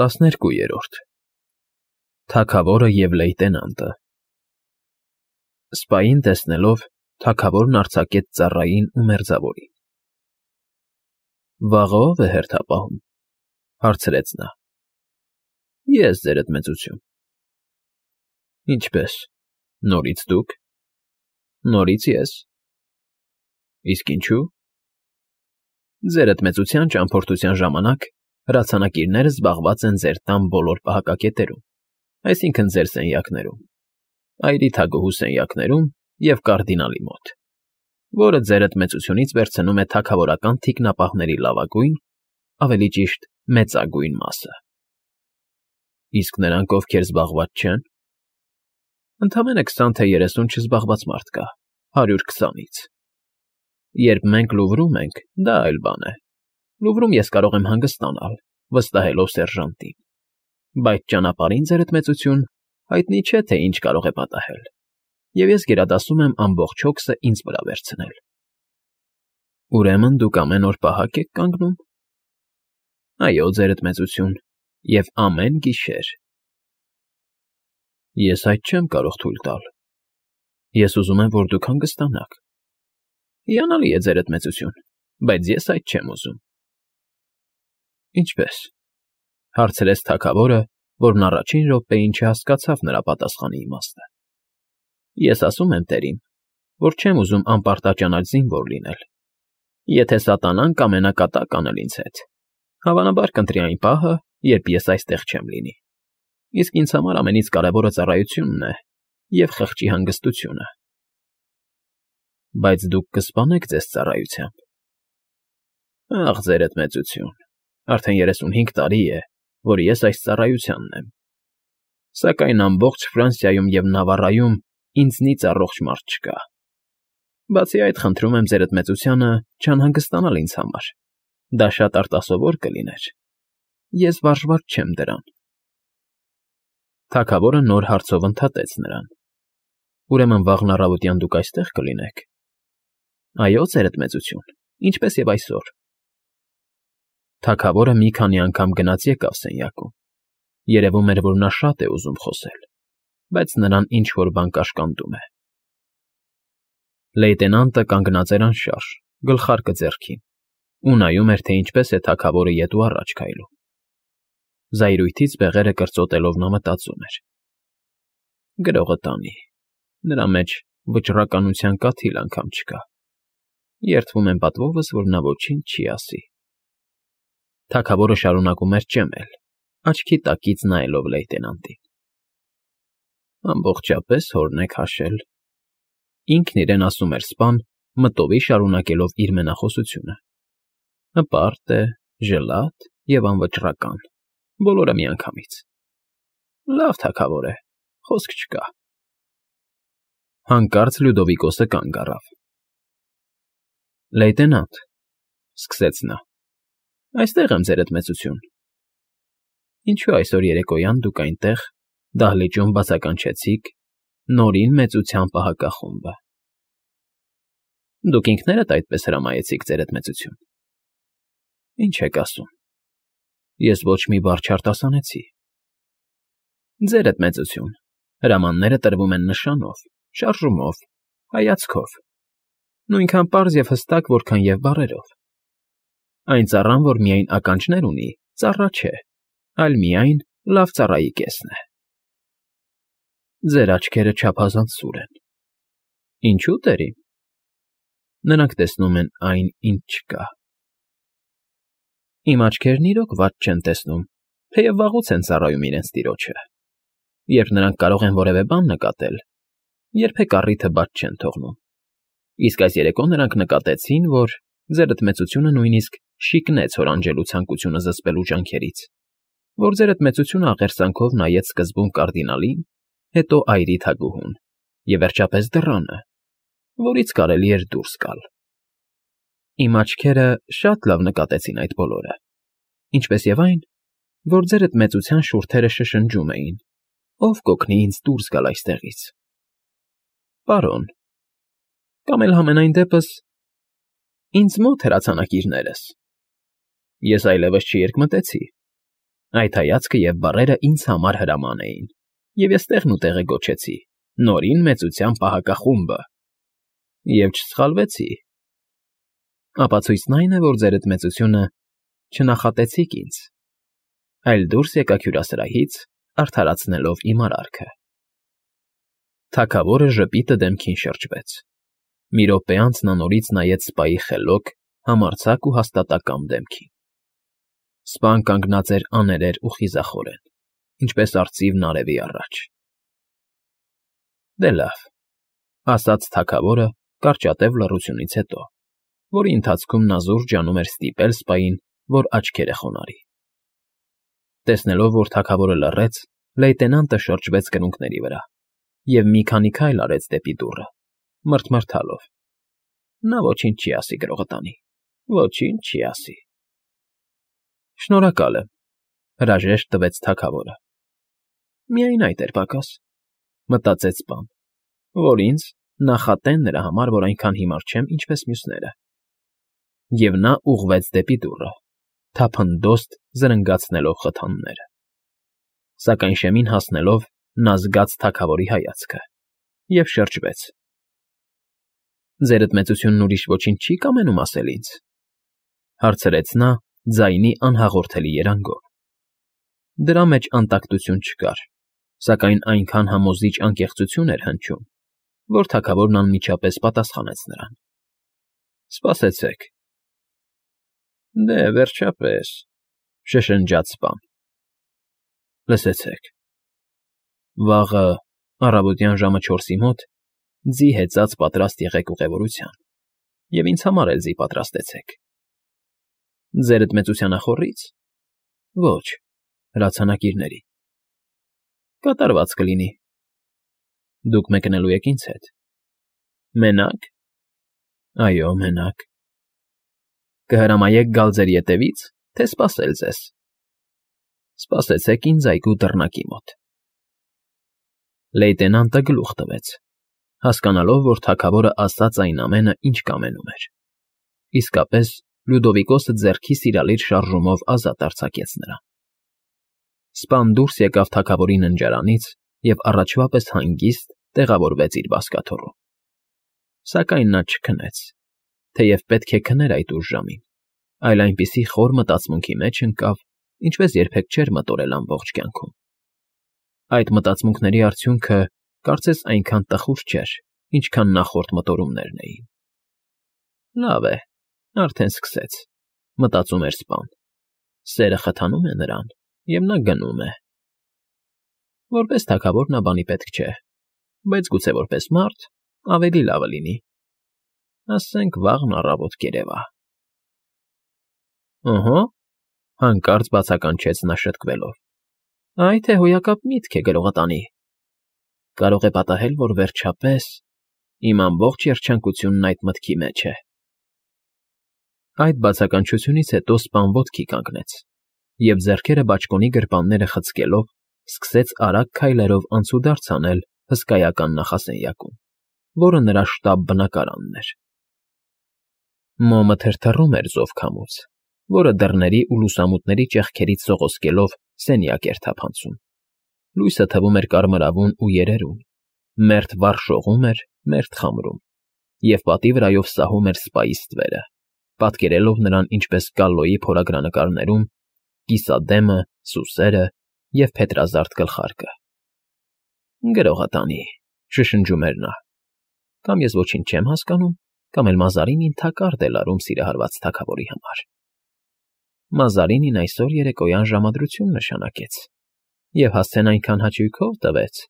12-րդ Թագավորը և լեյտենանտը Սպային տեսնելով, թագավորն արձակեց ծառային ու մերձավորին։ «Վաղը ո՞վ է հերթապահում,֊ հարցրեց նա։ «Ես, ձերդ մեծություն»։ «Ինչպե՞ս, նորից դուք»։ «Նորից ես»։ «Իսկ ինչու»։ «Ձերդ մեծության ճամփորդության ժամանակ հրացանակիրները զբաղված են ձեր տան բոլոր պահակակետերում, այսինքն՝ ձեր սենյակներում, այրի թագուհու սենյակներում և կարդինալի մոտ, որը ձերդ մեծությունից վերցնում է թագավորական թիկնապահների լավագույն, ավելի ճիշտ, մեծագույն մասը»։ «Իսկ նրանք, ովքեր զբաղված չեն»։ «Ընդամենը 20 թե 30 չզբաղված մարդ կա 120-ից։ Երբ մենք Լուվրում ենք, դա այլ բան է. Լուվրում ես կարող եմ հանգստանալ, վստահելով սերժանտին, բայց ճանապարհին, ձերդ մեծություն, հայտնի չէ, թե ինչ կարող է պատահել, և ես գերադասում եմ ամբողջ հոգսը ինձ վրա վերցնել»։ «Ուրեմն դուք ամեն օր պահակ եք կանգնում»։ «Այո, ձերդ մեծություն, և ամեն գիշեր»։ «Ես այդ չեմ կարող թույլ տալ։ Ես ուզում եմ, որ դուք հանգստանաք»։ «Հիանալի է, ձերդ մեծություն, բայց ես այդ չեմ ուզում»։ «Ինչպե՞ս,֊ հարցրեց թագավորը, որն առաջին րոպեին չհասկացավ նրա պատասխանի իմաստը։ «Ես ասում եմ տերին, որ չեմ ուզում անպարտաճանաչ զինվոր լինել։ Եթե սատանան կամենա կատակ անել ինձ հետ, հավանաբար կընտրի այն պահը, երբ ես այստեղ չեմ լինի, իսկ ինձ համար ամենից կարևորը ծառայությունն է և խղճի հանգստությունը»։ «Բայց դուք կսպանեք ձեզ ծառայությամբ»։ «Ախ, ձերդ մեծություն, արդեն 35 տարի է, որ ես այս ծառայությանն եմ, սակայն ամբողջ Ֆրանսիայում և Նավառայում ինձնից առողջ մարդ չկա։ Բացի այդ, խնդրում եմ ձերդ մեծությանը չանհանգստանալ ինձ համար, դա շատ արտասովոր կլիներ։ Ես վարժված չեմ դրան»։ Թագավորը նոր հարցով ընդհատեց նրան. «Ուրեմն վաղն առավոտյան դուք այստեղ կլինեք»։ «Այո, ձերդ մեծություն, ինչպես և այսօր»։ Թագավորը մի քանի անգամ գնաց֊եկավ սենյակում։ Երևում էր, որ նա շատ է ուզում խոսել, բայց նրան ինչ֊որ բան կաշկանդում է։ Լեյտենանտը կանգնած էր անշարժ, գլխարկը ձեռքին, ու նայում էր, թե ինչպես է թագավորը ետ ու առաջ քայլում։ Զայրույթից բեղերը կրծոտելով նա մտածում էր. «Գրողը տանի, նրա մեջ վճռականության կաթիլ անգամ չկա։ Երդվում եմ պատվովս, որ նա ոչինչ չի ասի»։ Թագավորը շարունակում էր ճեմել, աչքի տակից նայելով լեյտենանտին։ «Ամբողջապես հորն եք հաշել», ինքն իրեն ասում էր սպան, մտովի շարունակելով իր մենախոսությունը։ «Հպարտ է, ժլատ և անվճռական, բոլորը միանգամից։ Լավ թագավոր է, խոսք չկա»։ Հանկարծ Լյուդովիկոսը կանգ առավ։ «Լեյտենանտ,֊ սկսեց նա,֊ այստեղ եմ, ձերդ մեծություն»։ «Ինչու այսօր երեկոյան դուք այնտեղ, դահլիճում բացականչեցիք Նորին Մեծության պահակախումբը»։ «Դուք ինքներդ այդպես հրամայեցիք, ձերդ մեծություն»։ «Ինչ եք ասում, ես ոչ մի բառ չարտասանեցի»։ «Ձերդ մեծություն, հրամանները տրվում են նշանով, շարժումով, հայացքով, նույնքան պարզ և հստակ, որքան և բառերով։ Այն ծառան, որ միայն ականջներ ունի, ծառա չէ, այլ միայն լավ ծառայի կեսն է»։ «Ձեր աչքերը չափազանց սուր են»։ «Ինչո՞ւ, տերին»։ «Նրանք տեսնում են այն, ինչ չկա»։ «Իմ աչքերն իրոք վատ չեն տեսնում, թեև վաղուց են ծառայում իրենց տիրոջը։ Երբ նրանք կարող են որևէ բան նկատել, երբեք առիթը բաց չեն թողնում։ Իսկ այս երեկո նրանք նկատեցին, որ ձերդ մեծությունը նույնիսկ շիկնեց հորանջելու ցանկությունը զսպելու ջանքերից, որ ձերդ մեծությունը աղերսանքով նայեց սկզբում կարդինալին, հետո այրի թագուհուն և վերջապես դռանը, որից կարելի էր դուրս գալ։ Իմ աչքերը շատ լավ նկատեցին այդ բոլորը, ինչպես և այն, որ ձերդ մեծության շուրթերը շշնջում էին. «Ով կօգնի ինձ դուրս գալ այստեղից»։ Պարոն, կամ էլ համենայն դեպս ինձ մոտ հրացանակիրներս։ Ես այլևս չերկմտեցի։ Այդ հայացքը և բառերը ինձ համար հրաման էին, և ես տեղն ու տեղը գոչեցի. «Նորին մեծության պահակախումբը» և չսխալվեցի։ Ապացույցն այն է, որ ձերդ մեծությունը չնախատեցիք ինձ, այլ դուրս եկաք հյուրասրահից, արդարացնելով իմ արարքը։ Թագավորը ժպիտը դեմքին շրջվեց։ Մի րոպե անց նա նորից նայեց սպայի խելոք, համարձակ ու հաստատակամ դեմքին։ Սպան կանգնած էր աներեր ու խիզախորեն, ինչպես արծիվն արևի առաջ։ Դե լավ, ասաց թագավորը կարճատև լռությունից հետո, որի ընթացքում նա զուր ջանում էր ստիպել սպային, որ աչքերը խոնարհի։ Տեսնելով, որ թագավորը լռեց, լեյտենանտը շրջվեց կրունկների վրա և մի քանի քայլ արեց դեպի դուռը, մռթմռթալով. նա ոչինչ չի ասի գրողտանի, ոչինչ չի ասի։ Շնորհակալ եմ, հրաժեշտ տվեց թագավորը։ Միայն այդ էր պակաս, մտածեց սպան, որ ինձ նախատեն նրա համար, որ այնքան հիմար չեմ, ինչպես մյուսները։ Եվ նա ուղղվեց դեպի դուռը, թափնտոստ զրնգացնելով խթանները։ Սակայն շեմին հասնելով, նա զգաց թագավորի հայացքը և շրջվեց։ Ձերդ մեծությունն ուրիշ ոչինչ չի կամենում ասել ինձ, հարցրեց նա ձայնի անհաղորդելի երանգով։ Դրա մեջ անտակտություն չկար, սակայն այնքան համոզիչ անկեղծություն էր հնչում, որ թագավորն անմիջապես պատասխանեց նրան. Սպասեցեք։ Դե, վերջապես, շշնջաց սպան։ Լսեցեք։ Վաղը առավոտյան ժամը 4-ի մոտ ձի հեծած պատրաստ եղեք ուղևորության, և ինձ համար էլ ձի պատրաստեցեք։ Ձերդ մեծության ախոռից։ Ոչ, հրացանակիրների։ Կատարված կլինի։ Դուք մեկնելու եք ինձ հետ։ Մենա՞կ։ Այո, մենակ։ Կհրամայեք գալ ձեր ետևից, թե սպասել ձեզ։ Սպասեցեք ինձ այգու դռնակի մոտ։ Լեյտենանտը գլուխ տվեց, հասկանալով, որ թագավորը ասաց այն ամենը, ինչ կամենում էր։ Իսկապես, Լյուդովիկոսը ձեռքի սիրալիր շարժումով ազատ արձակեց նրան։ Սպան դուրս եկավ թագավորի ննջարանից և առաջվա պես հանգիստ տեղավորվեց իր բազկաթոռում։ Սակայն նա չքնեց, թեև պետք է քներ այդ ուշ ժամին, այլ այնպիսի խոր մտածմունքի մեջ ընկավ, ինչպես երբեք չէր մտորել ամբողջ կյանքում։ Այդ մտածմունքների արդյունքը կարծես այնքան տխուր չէր, ինչքան նախորդ մտորումներն էին։ Լավ է, արդեն սկսեց, մտածում էր սպան։ Սերը խթանում է նրան, և նա գնում է։ Որպես թագավոր նա բանի պետք չէ, բայց գուցե որպես մարդ ավելի լավը լինի։ Ասենք վաղն առավոտ կերևա։ Ըհը, հանկարծ բացականչեց նա շտկվելով։ Այ թե հոյակապ միտք է գրողտանի։ Կարող է պատահել, որ վերջապես իմ ամբողջ երջանկությունն այդ մտքի մեջ է։ Այդ բացականչությունից հետո սպան ոտքի կանգնեց և ձեռքերը բաճկոնի գրպանները խցկելով սկսեց արագ քայլերով անցուդարձ անել հսկայական նախասենյակում, որը նրա շտաբ բնակարանն էր։ Մոմը թրթռում էր զով քամուց, որը դռների ու լուսամուտների ճեղքերից սողոսկելով սենյակ էր թափանցում։ Լույսը թվում էր կարմրավուն ու երերուն, մերթ վառ շողում էր, մերթ խամրում, և պատի վրայով սահում էր սպայի ստվերը, պատկերելով նրան ինչպես Կալլոյի փորագրանկարներում կիսադեմը, սուսերը և փետրազարդ գլխարկը։ Գրողատանի, շշնջում էր նա, կամ ես ոչինչ չեմ հասկանում, կամ էլ Մազարինին թակարդ է լարում սիրահարված թագավորի համար։ Մազարինին այսօր երեկոյան ժամադրություն նշանակեց և հասցեն այնքան հաճույքով տվեց,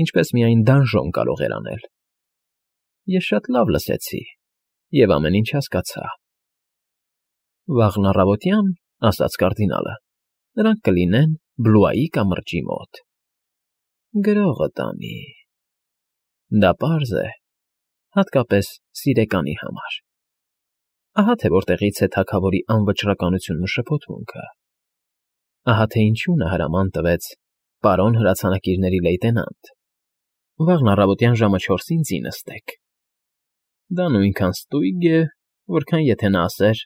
ինչպես միայն դանժոն կարող էր անել։ Ես շատ լավ լսեցի և ամեն ինչ հասկացա։ Վաղն առավոտյան, ասաց կարդինալը, նրանք կլինեն Բլուայի կամրջի մոտ։ Գրողտանի։ Դա պարզ է, հատկապես սիրեկանի համար։ Ահա թե որտեղից է թագավորի անվճռականությունն ու շփոթմունքը։ Ահա թե ինչու նա հրաման տվեց. «Պարոն հրացանակիրների լեյտենանտ, վաղն առավոտյան ժամը 4-ին ձի նստեք»։ Դա նույնքան ստույգ է, որքան եթե նա ասեր.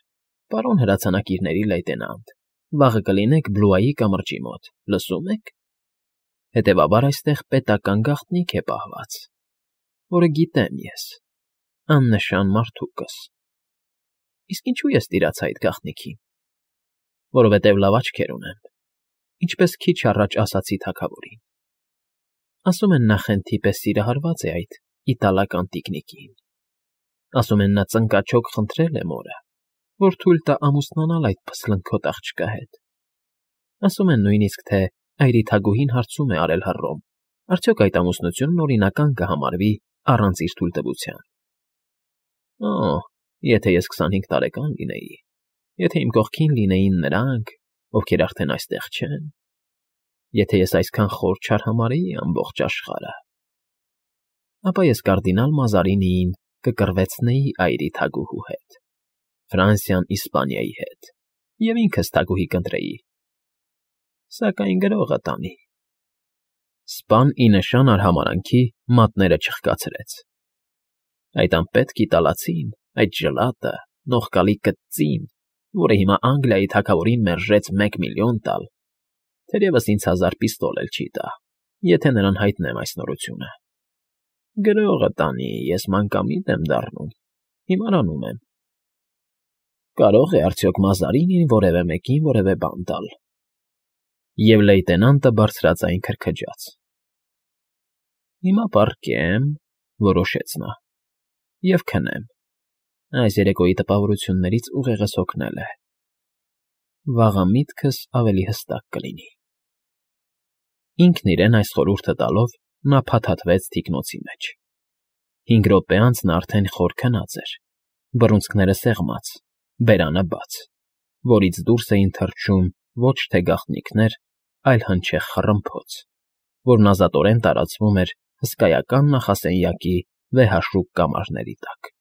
«Պարոն հրացանակիրների լեյտենանտ, Վաղը կլինեք Բլուայի կամրջի մոտ, լսո՞ւմ եք։ Հետևաբար այստեղ պետական գաղտնիք է պահված, որը գիտեմ ես, աննշան մարդուկս։ Իսկ ինչու ես տիրացա այդ գաղտնիքին։ Որովհետև լավ աչքեր ունեմ, ինչպես քիչ առաջ ասացի թագավորին։ Ասում են նա խենթի պես սիրահարված է այդ իտալական տիկնիկին։ Ասում են նա ծնկաչոք խնդրել է մորը, որ թույլ տա ամուսնանալ այդ փսլնքոտ աղջկա հետ։ Ասում են նույնիսկ, թե այրիթագուհին հարցում է արել հռոմ, արդյոք այդ ամուսնությունն օրինական կհամարվի առանց իր թույլտվության։ Օ, եթե ես 25 տարեկան լինեի, եթե իմ կողքին լինեին նրանք, ովքեր արդեն այստեղ չեն, եթե ես այսքան խոր չարհամարեի ամբողջ աշխարհը, ապա ես կարդինալ Մազարինիին կկռվեցնեի այրի թագուհու հետ, Ֆրանսիան Իսպանիայի հետ, և ինքս թագուհի կընտրեի, սակայն գրողը տանի։ Սպան ի նշան արհամարանքի մատները չխկացրեց։ Այդ անպետք իտալացին, այդ ժլատը, նողկալի կծին, որը հիմա Անգլիայի թագավորին մերժեց 1 միլիոն տալ, թերևս ինձ 1000 պիստոլ էլ չի տա, եթե նրան հայտնեմ այս նորությունը։ Գրողը տանի, ես մանկամիտ եմ դառնում, հիմարանում եմ։ Կարող է արդյոք Մազարինին որևէ մեկին որևէ բան տալ։ Եվ լեյտենանտը բարձրաձայն քրքջաց։ Հիմա պառկեմ, որոշեց նա, և քնեմ։ Այս երեկոյի տպավորություններից ուղեղս հոգնել է։ Վաղը միտքս ավելի հստակ կլինի։ Ինքն իրեն այս խորհուրդը տալով նա փաթաթվեց թիկնոցի մեջ։ 5 րոպե անց նա արդեն խոր քնած էր, բռունցքները սեղմած, բերանը բաց, որից դուրս էին թռչում ոչ թե գաղտնիքներ, այլ հնչեղ խռմփոց, որն ազատորեն տարածվում էր հսկայական նախասենյակի վեհաշուկ կամարների տակ։